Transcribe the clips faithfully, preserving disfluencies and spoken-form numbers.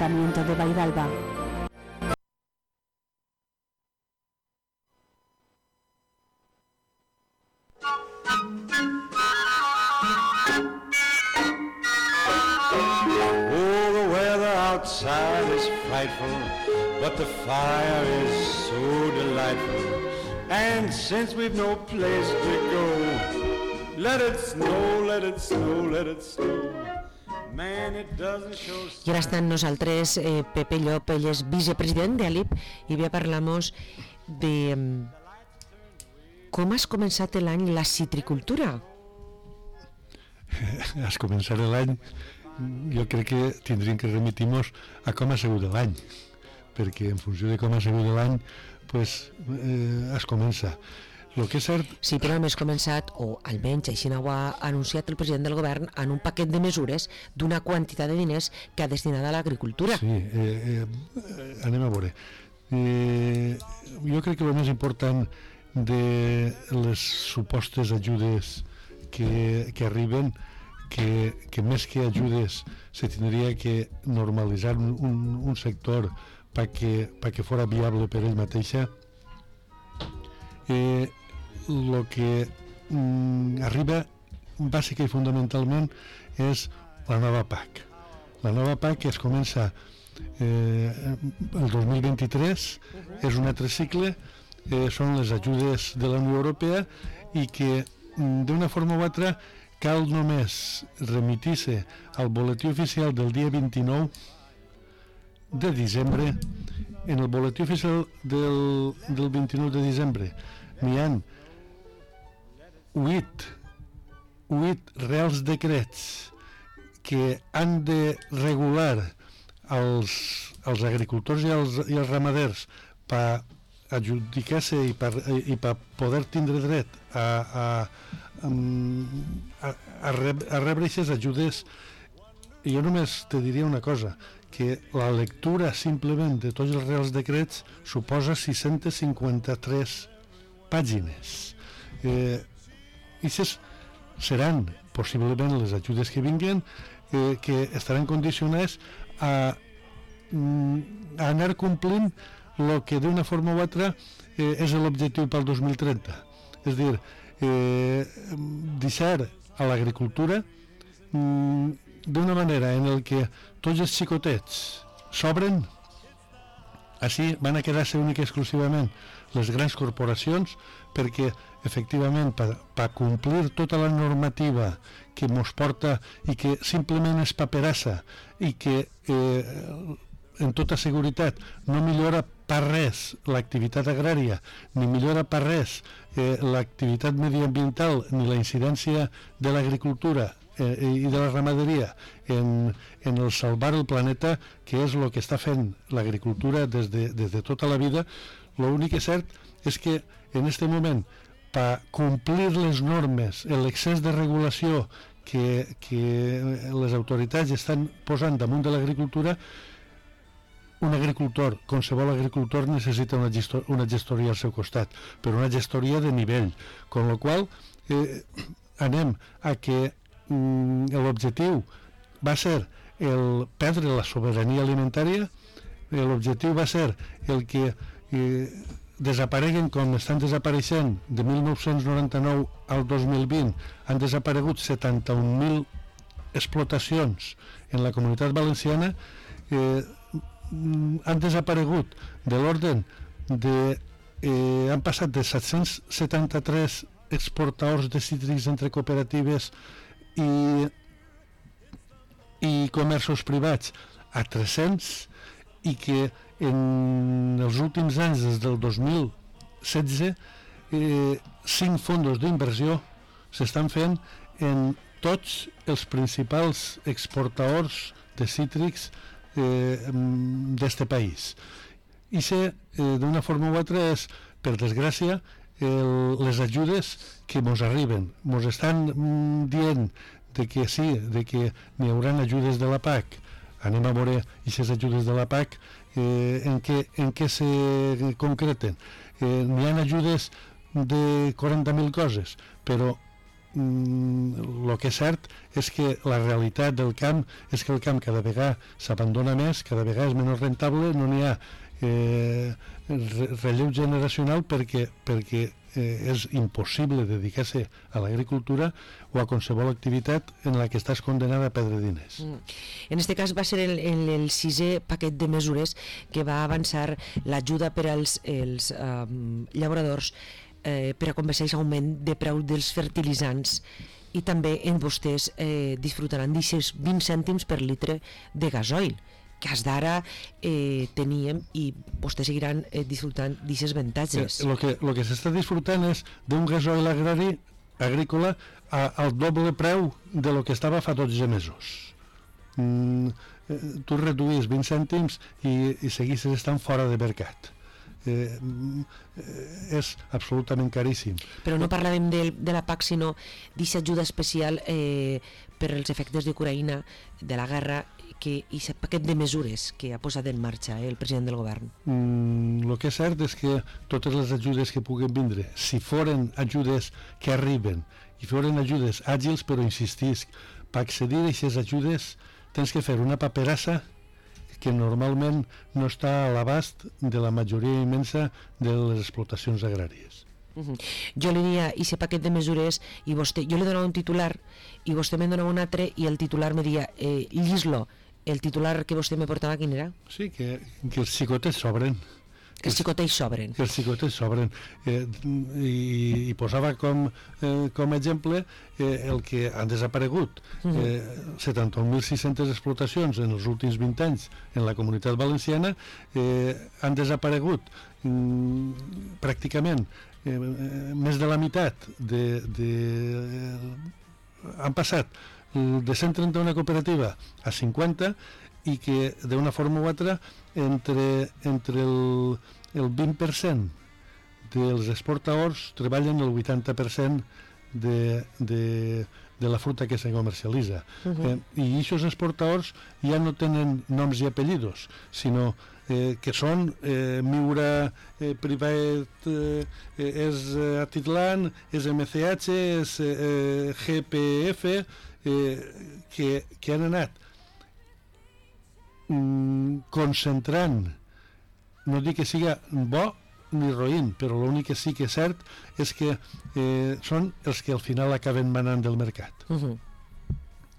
Ayuntamiento de Vaidalba. Oh, the weather outside is frightful, but the fire is so delightful. And since we've no place to go, let it snow, let it snow, let it snow. Man, it doesn't show. Y ahora están nosaltres, eh, Pepe Llop, ell és vicepresident de Alip, i bé parlamos de um, com has començat l'any la citricultura. Has començat l'any, jo crec que tindríem que remitir-nos a com ha sigut l'any, perquè en funció de com ha sigut l'any, pues, eh, es comença. Lo que és cert... Sí, però hem començat, o almenys així ho ha anunciat el president del govern, en un paquet de mesures d'una quantitat de diners que ha destinat a l'agricultura. Sí, eh, eh, anem a veure. Eh, jo crec que el més important de les supostes ajudes que, que arriben, que, que més que ajudes se tindria que normalitzar un, un, un sector perquè pa que fora viable per ell mateixa. Eh, el que mm, arriba bàsica i fundamentalment és la nova P A C. La nova P A C es comença eh, el dos mil vint-i-tres, uh-huh. És un altre cicle, eh, són les ajudes de la Unió Europea i que mm, d'una forma o altra cal només remitir-se al boletí oficial del dia vint-i-nou de desembre. En el boletí oficial del, del vint-i-nou de desembre n'hi ha huit, huit reals decrets que han de regular els, els agricultors i els, i els ramaders per adjudicar-se i per, i per poder tindre dret a, a, a, a, reb, a rebre aquestes ajudes. I jo només te diria una cosa, que la lectura simplement de tots els reals decrets suposa sis-centes cinquanta-tres pàgines. Eh, Ixes seran possiblement les ajudes que vinguen, eh, que estaran condicionades a, a anar complint el que d'una forma o altra eh, és l'objectiu pel dos mil trenta. És a dir, eh, deixar a l'agricultura mm, d'una manera en el que tots els xicotets s'obren, així van a quedar-se únic i exclusivament les grans corporacions, perquè efectivament per, per complir tota la normativa que mos porta i que simplement és paperassa i que eh, en tota seguretat no millora per res l'activitat agrària, ni millora per res eh, l'activitat mediambiental ni la incidència de l'agricultura eh, i de la ramaderia en, en el salvar el planeta, que és el que està fent l'agricultura des de, des de tota la vida. L'únic que és cert és que en aquest moment, per complir les normes, l'excés de regulació que, que les autoritats estan posant damunt de l'agricultura, un agricultor, qualsevol agricultor, necessita una, gestor, una gestoria al seu costat, però una gestoria de nivell, con la qual eh, anem a que mm, l'objectiu va ser el perdre la sobirania alimentària, l'objectiu va ser el que eh, desapareguen com estan desapareixent de mil nou-cents noranta-nou al dos mil vint. Han desaparegut setanta-un mil explotacions en la Comunitat Valenciana, eh, han desaparegut de l'ordre de eh, han passat de set-cents setanta-tres exportadors de cítrics entre cooperatives i i comerços privats a tres-cents, i que en els últims anys, des del dos mil setze, eh, cinc fondos d'inversió s'estan fent en tots els principals exportadors de cítrics eh, d'este país. I se, eh, d'una forma o altra, és, per desgràcia, el, les ajudes que mos arriben. Mos estan mm, dient de que sí, de que n'hi haurà ajudes de la P A C. Anem a veure aquestes ajudes de la P A C eh, en, què, en què se concreten. Eh, n'hi ha ajudes de quaranta mil coses, però el que és cert és que la realitat del camp és que el camp cada vegada s'abandona més, cada vegada és menys rentable, no n'hi ha eh, relleu generacional perquè, perquè eh, és impossible dedicar-se a l'agricultura o a qualsevol activitat en la que estàs condenada a perdre diners. Mm. En aquest cas va ser el, el, el sisè paquet de mesures que va avançar l'ajuda per als els, um, llauradors eh, per a compensar l'augment de preu dels fertilitzants, i també en vostès eh, disfrutaran d'aquests vint cèntims per litre de gasoil que fins d'ara eh, teníem, i vostès seguiran eh, disfrutant d'aquests avantatges. El que, lo que s'està disfrutant és d'un gasoil agrari agrícola a, al doble preu de lo que estava fa dotze mesos. Mm, tu reduïs vint cèntims i, i seguissis estant fora de mercat. Eh, és absolutament caríssim. Però no parlàvem de, de la P A C, sinó d'aquesta ajuda especial eh, per als efectes d'Ucraïna, de la guerra, que i aquest paquet de mesures que ha posat en marxa eh, el president del govern. Mm, el que és cert és que totes les ajudes que puguen vindre, si foren ajudes que arriben i foren ajudes àgils, però insistisc, per accedir a aquestes ajudes tens que fer una paperassa que normalment no està a l'abast de la majoria immensa de les explotacions agràries. Uh-huh. Jo li diria, i aquest paquet de mesures, i vostè, jo li donava un titular i vostè me'n donava un altre, i el titular me dia eh, llis-lo. El titular que vostè me portava, quin era? Sí, que, que els xicotets sobren. Que els xicotets sobren. Que els xicotets sobren. Eh, i, I posava com, eh, com exemple eh, el que han desaparegut. Uh-huh. eh, setanta mil sis-centes explotacions en els últims vint anys en la Comunitat Valenciana eh, han desaparegut mm, pràcticament eh, més de la meitat de... de eh, han passat de cent trenta-una cooperativa a cinquanta, i que d'una forma o altra entre, entre el, el vint per cent dels exportadors treballen el vuitanta per cent de, de, de la fruta que se comercialitza. Uh-huh. eh, I aquests exportadors ja no tenen noms i apellidos, sinó eh, que són eh, Miura eh, Privat, eh, és eh, Atitlan, és M C H, és eh, G P F, eh, que, que han anat mm, concentrant, no dic que siga bo ni roïn, però l'únic que sí que és cert és que eh, són els que al final acaben manant del mercat. Uh-huh.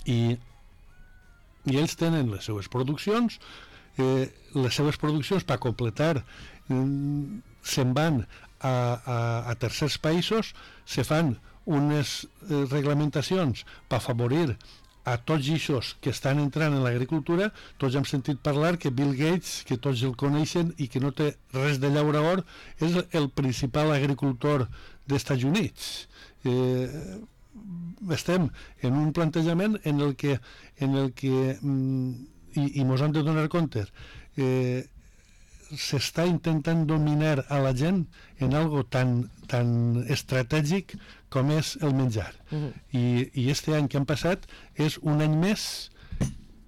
I, i ells tenen les seues produccions, eh, les seues produccions per completar eh, se'n van a, a, a tercers països, se fan unes eh, reglamentacions per afavorir a tots aquests que estan entrant en l'agricultura. Tots hem sentit parlar que Bill Gates, que tots el coneixen i que no té res de llaurador, és el principal agricultor dels Estats Units. Eh, estem en un plantejament en el que, en el que mm, i, i mos hem de donar compte, eh, s'està intentant dominar a la gent en algo tan, tan estratègic com és el menjar. Uh-huh. I, i este any que han passat és un any més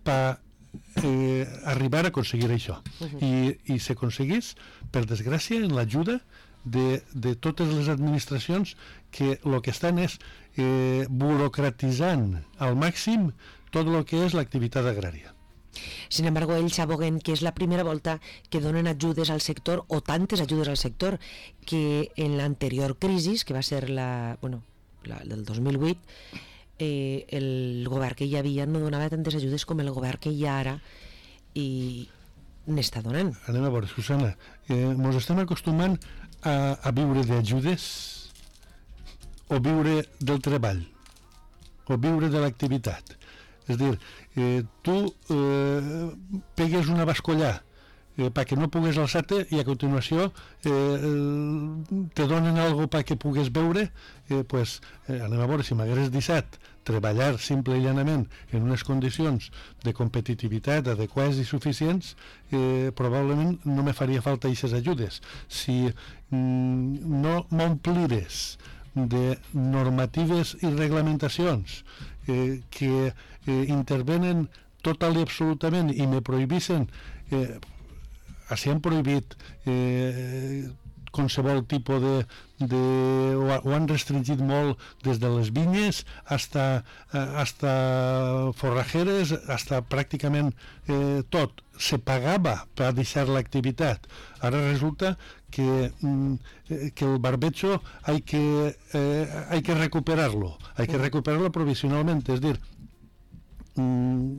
per eh, arribar a aconseguir això. Uh-huh. I, i s'aconseguís, per desgràcia, en l'ajuda de, de totes les administracions que el que estan és eh, burocratitzant al màxim tot el que és l'activitat agrària. Sin embargo, ells aboguen que és la primera volta que donen ajudes al sector, o tantes ajudes al sector, que en l'anterior crisi, que va ser la, bueno, la del dos mil vuit, eh, el govern que hi havia no donava tantes ajudes com el govern que hi ha ara, i n'està donant. Anem a veure, Susana, eh, mos estem acostumant a, a viure d'ajudes, o viure del treball, o viure de l'activitat. És a dir, eh, tu eh, pegues una bascollà eh, perquè no pugues alçar-te, i a continuació eh, te donen algo perquè pugues beure, eh, pues, eh, anem a veure, si m'hagués deixat treballar simple i llanament en unes condicions de competitivitat adequades i suficients, eh, probablement no me faria falta aquestes ajudes. Si mm, no m'omplires de normatives i reglamentacions eh, que eh, intervenen total i absolutament i me prohibissen, eh, així han prohibit eh, qualsevol tipus de... de ho, ho han restringit molt des de les vinyes hasta, hasta forrajeres, hasta pràcticament eh, tot. Se pagava per deixar l'activitat. Ara resulta que, que el barbecho hay que, eh, hay que recuperarlo, hay que recuperarlo provisionalmente, es decir,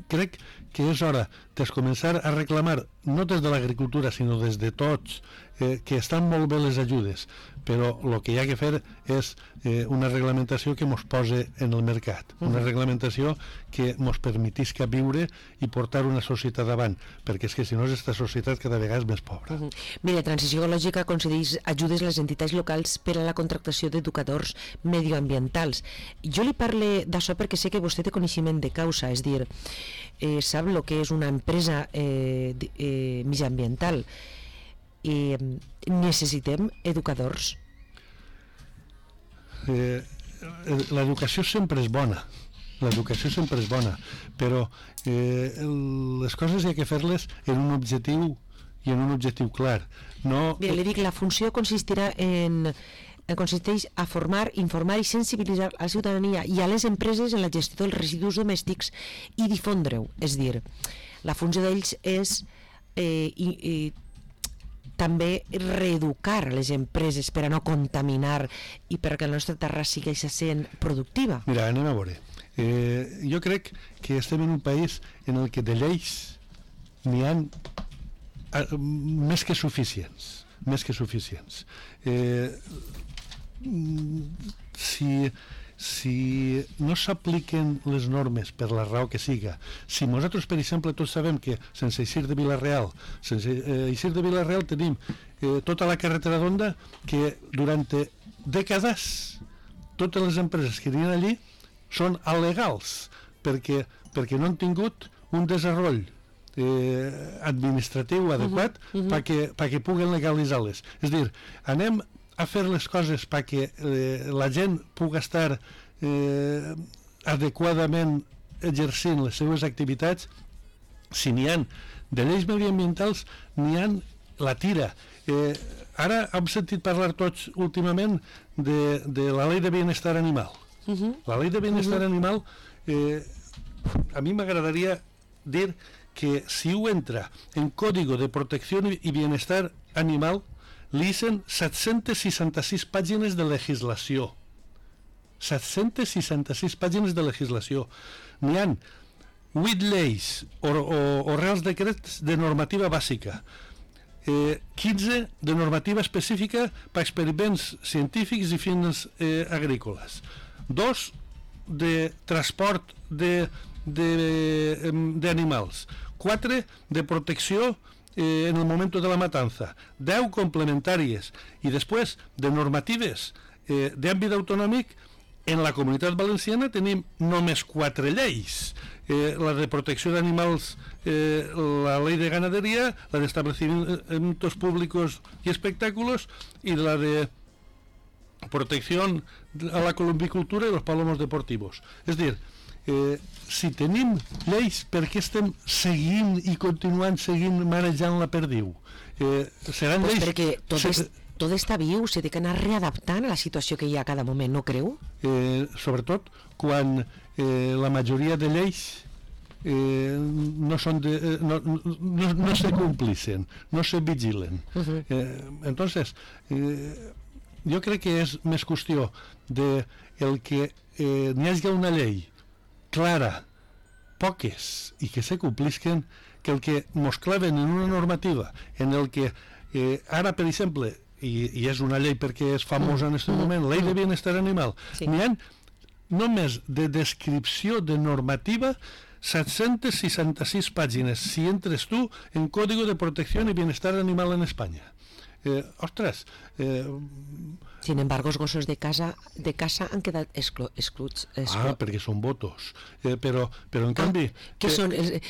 crec que és hora de començar a reclamar, no des de l'agricultura, sinó des de tots, eh, que estan molt bé les ajudes, però el que hi ha que fer és eh, una reglamentació que ens posi en el mercat, una reglamentació que ens permetisca viure i portar una societat davant, perquè és que si no aquesta societat cada vegada és més pobra. Uh -huh. Mira, Transició Ecològica concedeix ajudes a les entitats locals per a la contractació d'educadors medioambientals. Jo li parle d'això perquè sé que vostè té coneixement de causa, és dir, eh, sap el que és una empresa eh, eh, mediambiental. Eh, necessitem educadors. Eh, l'educació sempre és bona, l'educació sempre és bona, però eh, les coses hi ha que fer-les en un objectiu i en un objectiu clar. No... Mira, li dic, la funció consistirà en consisteix a formar, informar i sensibilitzar a la ciutadania i a les empreses en la gestió dels residus domèstics i difondre-ho. És dir, la funció d'ells és eh, i, i, també reeducar les empreses per a no contaminar i perquè la nostra terra sigui sent productiva. Mira, anem a veure. Eh, jo crec que estem en un país en el que de lleis n'hi ha eh, més que suficients. Més que suficients. Eh, si... si no s'apliquen les normes per la raó que siga, si nosaltres, per exemple, tots sabem que sense eixir de Vila-real, sense eh, eixir de Vila-real tenim eh, tota la carretera d'Onda que durant dècades totes les empreses que eren allí són alegals perquè, perquè no han tingut un desenvolupament eh, administratiu adequat uh -huh, uh -huh. perquè, perquè puguen legalitzar-les. És a dir, anem a fer les coses perquè eh, la gent pugui estar eh, adequadament exercint les seves activitats. Si n'hi ha de lleis mediambientals, n'hi ha la tira. Eh, ara hem sentit parlar tots últimament de, de la llei de bienestar animal. Uh-huh. La llei de bienestar uh-huh. animal, eh, a mi m'agradaria dir que si ho entra en Código de Protecció i Bienestar Animal, li hissen set-centes seixanta-sis pàgines de legislació. set-centes seixanta-sis pàgines de legislació. N'hi ha vuit lleis o, o, o reals decrets de normativa bàsica, eh, quinze de normativa específica per experiments científics i fins eh, agrícoles, dos de transport de, de, de animals, quatre de protecció Eh, en el moment de la matanza, deu complementàries i després de normatives eh, d'àmbit autonòmic. En la Comunitat Valenciana tenim només quatre lleis, eh, la de protecció d'animals, eh, la ley de ganadería, la de establecimientos públicos y espectáculos y la de protección a la columbicultura y los palomos deportivos. És dir, Eh, si tenim lleis, per què estem seguint i continuant seguint manejant la perdiu? Eh, seran pues lleis... Perquè tot, se... és, tot està viu, s'ha d'anar readaptant a la situació que hi ha a cada moment, no creu? Eh, sobretot quan eh, la majoria de lleis eh, no, són de, eh, no, no, no se complicen, no se vigilen. Uh-huh. eh, entonces, eh, jo crec que és més qüestió de el que eh, n'hi hagi una llei clara, poques, i que se complisquen, que el que mos claven en una normativa en el que eh, ara, per exemple, i, i és una llei perquè és famosa en aquest mm. moment, la llei de bienestar animal, sí. N'hi ha només de descripció de normativa set-centes seixanta-sis pàgines, si entres tu en Código de Protección y Bienestar Animal en Espanya. Eh, ostres... Eh, Sin embargo, els gossos de casa de casa han quedat exclu excluts. Exclu ah, perquè són votos. Eh, però, però, en canvi... Ah, què eh, són? Eh,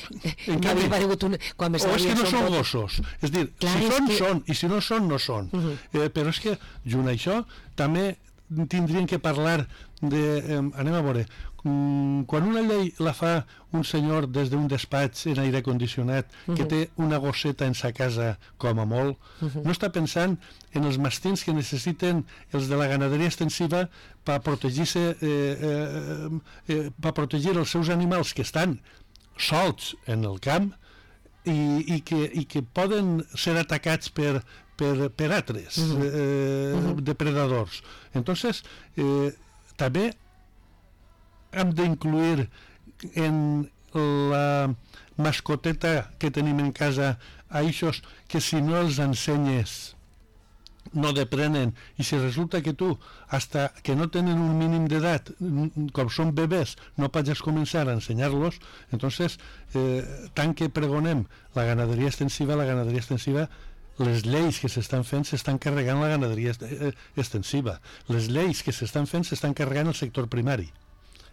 en canvi, un, quan o és que no són gossos. És dir, clar, si són, que... són, i si no són, no són. Uh -huh. eh, però és que, junt a això, també tindrien que parlar de... Eh, anem a veure, quan una llei la fa un senyor des d'un despatx en aire condicionat uh-huh. que té una gosseta en sa casa com a molt, uh-huh. no està pensant en els mastins que necessiten els de la ganaderia extensiva per protegir-se eh, eh, eh, per protegir els seus animals que estan solts en el camp i, i, que, i que poden ser atacats per, per, per altres uh-huh. eh, uh-huh. depredadors. Entonces, eh, també hem d'incluir en la mascoteta que tenim en casa a eixos que si no els ensenyes no deprenen, i si resulta que tu hasta que no tenen un mínim d'edat, com són bebès, no pots començar a ensenyar-los, entonces eh, tant que pregonem la ganaderia extensiva, la ganaderia extensiva les lleis que s'estan fent s'estan carregant la ganaderia extensiva, les lleis que s'estan fent s'estan carregant el sector primari.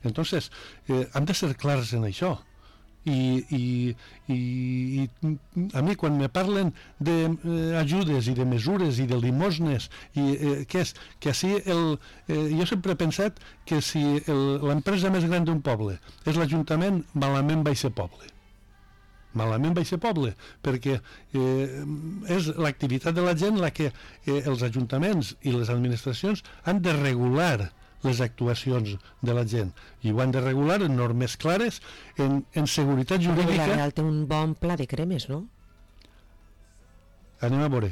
Entonces, eh, hem de ser clars en això. I, i, i, i a mi quan me parlen d'ajudes eh, i de mesures i de limosnes i eh, què és? Que així el, eh, jo sempre he pensat que si l'empresa més gran d'un poble és l'Ajuntament, malament va ser poble. Malament va ser poble, perquè eh, és l'activitat de la gent la que eh, els ajuntaments i les administracions han de regular les actuacions de la gent, i ho han de regular en normes clares, en, en seguretat jurídica. La Real té un bon pla de cremes, no? Anem a veure.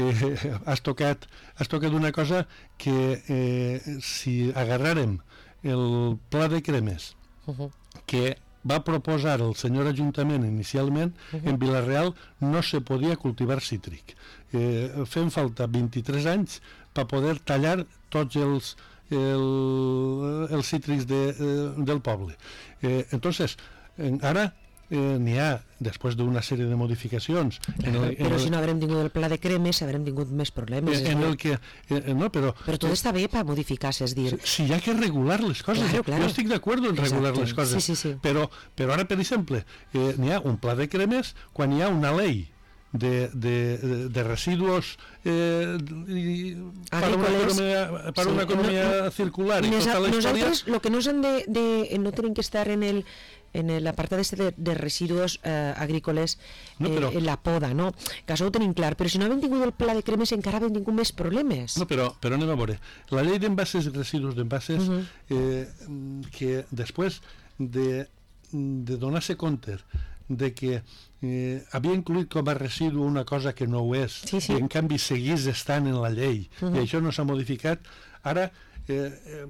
Eh, has tocat, has tocat una cosa que eh, si agarrarem el pla de cremes uh-huh. que va proposar el senyor Ajuntament inicialment, uh-huh. en Vila-real no se podia cultivar cítric. Eh, fem falta vint-i-tres anys per poder tallar tots els El, els cítrics de, eh, del poble. Eh, entonces, eh, ara eh, n'hi ha, després d'una sèrie de modificacions... En el, en però el, si no haurem tingut el pla de cremes, haurem tingut més problemes. En, en el que, eh, no, però, però tot eh, està bé per modificar-se, és dir... Si hi ha que regular les coses, claro, claro. Jo estic d'acord en regular Exacte. les coses, sí, sí, sí. Però, però ara, per exemple, eh, n'hi ha un pla de cremes quan hi ha una llei de, de, de residuos eh, para una economía, para sí, una economía no, circular y nosa, tota la història. Nosaltres lo que no han de, de no tienen que estar en el en l'apartat este de, de residuos eh, agrícoles no, però, eh, en la poda, no? Que això ho tenim clar, però si no havem tingut el pla de cremes encara havem tingut més problemes. No, però, però anem a veure. La llei d'envases i residus d'envases uh-huh. eh, que després de, de donar-se compte de que eh, havia incluït com a residu una cosa que no ho és, sí, sí. i en canvi seguís estant en la llei, uh-huh. i això no s'ha modificat. Ara, eh, eh,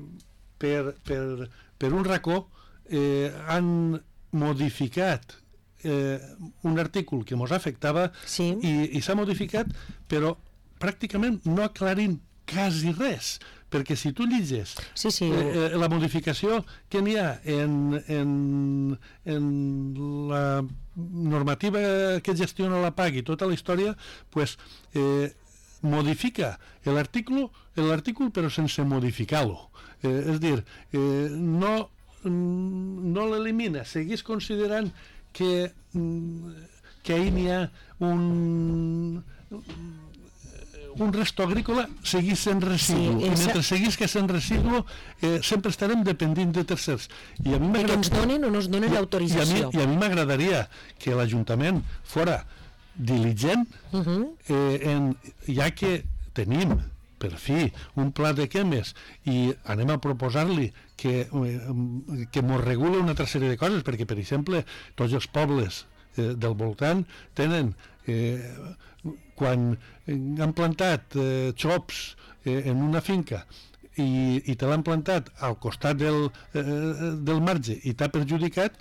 per, per, per un racó, eh, han modificat eh, un artícul que ens afectava sí. i, i s'ha modificat, però pràcticament no aclarint quasi res, perquè si tu lliges sí, sí. Eh, la modificació que n'hi ha en, en, en la normativa que gestiona la P A C i tota la història, pues, eh, modifica l'article l'article però sense modificar-lo. Eh, és dir, eh, no, no l'elimina, seguís considerant que, que ahir n'hi ha un... un resto agrícola seguís sent residu, sí, i mentre seguís que sent residu eh, sempre estarem dependint de tercers. I a mi que ens donen o no ens donen l'autorització. I a mi m'agradaria que l'Ajuntament fora diligent, uh-huh. eh, en, ja que tenim per fi un pla de cremes i anem a proposar-li que, eh, que mos regule una altra sèrie de coses, perquè per exemple tots els pobles eh, del voltant tenen eh, quan han plantat eh, xops eh, en una finca i, i te l'han plantat al costat del, eh, del marge i t'ha perjudicat,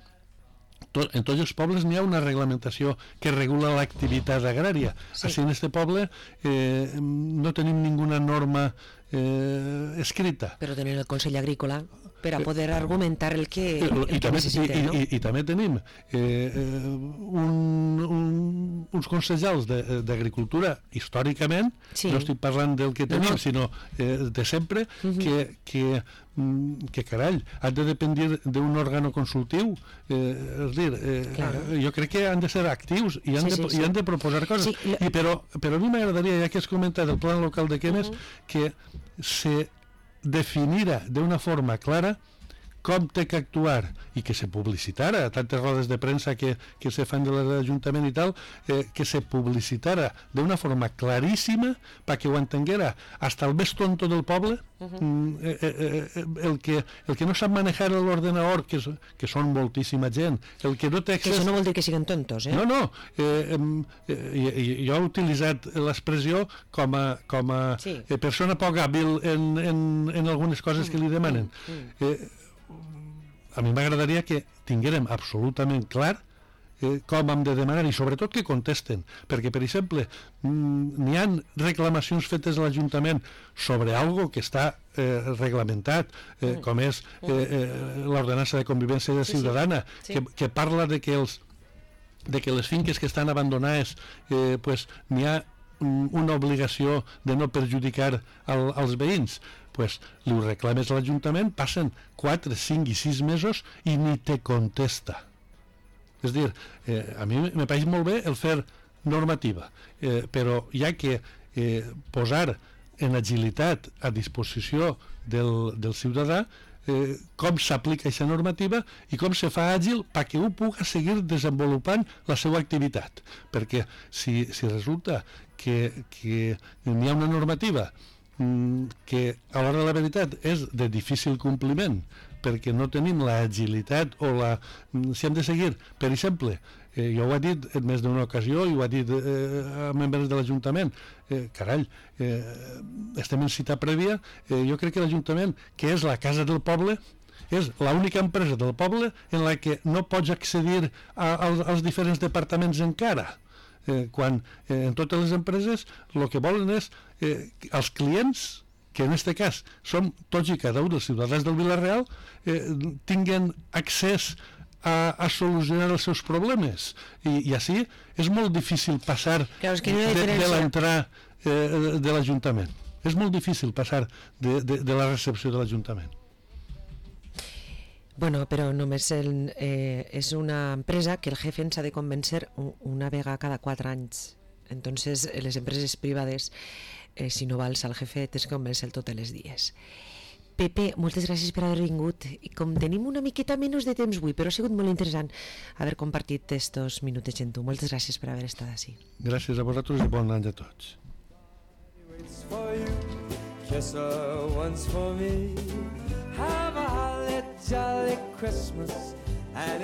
tot, en tots els pobles n'hi ha una reglamentació que regula l'activitat agrària. Sí. Així en este poble eh, no tenim ninguna norma eh, escrita. Però tenim el Consell Agrícola per a poder argumentar el que, el I, que també, necessitem, i, no? I, i, i també tenim eh, un, un, uns consellers d'agricultura històricament, sí. no estic parlant del que tenim, no, no. sinó eh, de sempre, uh-huh. que, que, que carai, han de dependre d'un òrgano consultiu, eh, és dir, eh, claro. jo crec que han de ser actius i han, sí, de, sí, i han sí. de proposar coses. Sí, I però, però a mi m'agradaria, ja que has comentat el plan local de cremes, uh-huh. que se definira d'una forma clara com té que actuar i que se publicitara, tantes rodes de premsa que, que se fan de l'Ajuntament i tal, eh, que se publicitara d'una forma claríssima perquè ho entenguera hasta el més tonto del poble, uh-huh. eh, eh, eh, el, que, el que no sap manejar l'ordenador, que, que són moltíssima gent, el que no té accés... Que això no vol dir que siguin tontos, eh? No, no, eh, eh, jo he utilitzat l'expressió com a, com a sí. eh, persona poc hàbil en, en, en algunes coses mm. que li demanen. Mm. Eh, a mi m'agradaria que tinguérem absolutament clar eh, com hem de demanar i sobretot que contesten, perquè per exemple n'hi ha reclamacions fetes a l'Ajuntament sobre algo que està eh, reglamentat eh, com és eh, eh, l'ordenança de convivència ciutadana, sí, sí. Sí. Que, que parla de que, els, de que les finques que estan abandonades eh, pues, n'hi ha una obligació de no perjudicar el, els veïns, pues, li ho reclames a l'Ajuntament, passen quatre, cinc i sis mesos i ni te contesta. És dir, eh, a mi me pareix molt bé el fer normativa, eh, però hi ha que eh, posar en agilitat a disposició del, del ciutadà eh, com s'aplica aquesta normativa i com se fa àgil perquè ho pugui seguir desenvolupant la seva activitat, perquè si, si resulta que, que hi ha una normativa mm, que a l'hora de la veritat és de difícil compliment perquè no tenim l'agilitat o la... si hem de seguir, per exemple, eh, jo ho he dit en més d'una ocasió i ho he dit eh, a membres de l'Ajuntament, eh, carall, eh, estem en cita prèvia, eh, jo crec que l'Ajuntament, que és la casa del poble, és l'única empresa del poble en la que no pots accedir a, als, als diferents departaments encara. Eh, quan eh, en totes les empreses el que volen és eh, els clients, que en aquest cas som tots i cada un dels ciutadans del Vila-real, eh, tinguen accés a, a solucionar els seus problemes i, i així és molt difícil passar claro, es que no de, de l'entrada eh, de l'Ajuntament, és molt difícil passar de, de, de la recepció de l'Ajuntament. Bueno, però només el, eh, és una empresa que el jefe ens ha de convèncer una vegada cada quatre anys. Entonces, les empreses privades, eh, si no vals al jefe, tens que convèncer totes les dies. Pepe, moltes gràcies per haver vingut. I com tenim una miqueta menys de temps avui, però ha sigut molt interessant haver compartit estos minutets amb tu. Moltes gràcies per haver estat així. Gràcies a vosaltres i bon any a tots. Kiss her once for me. Have a holly jolly Christmas and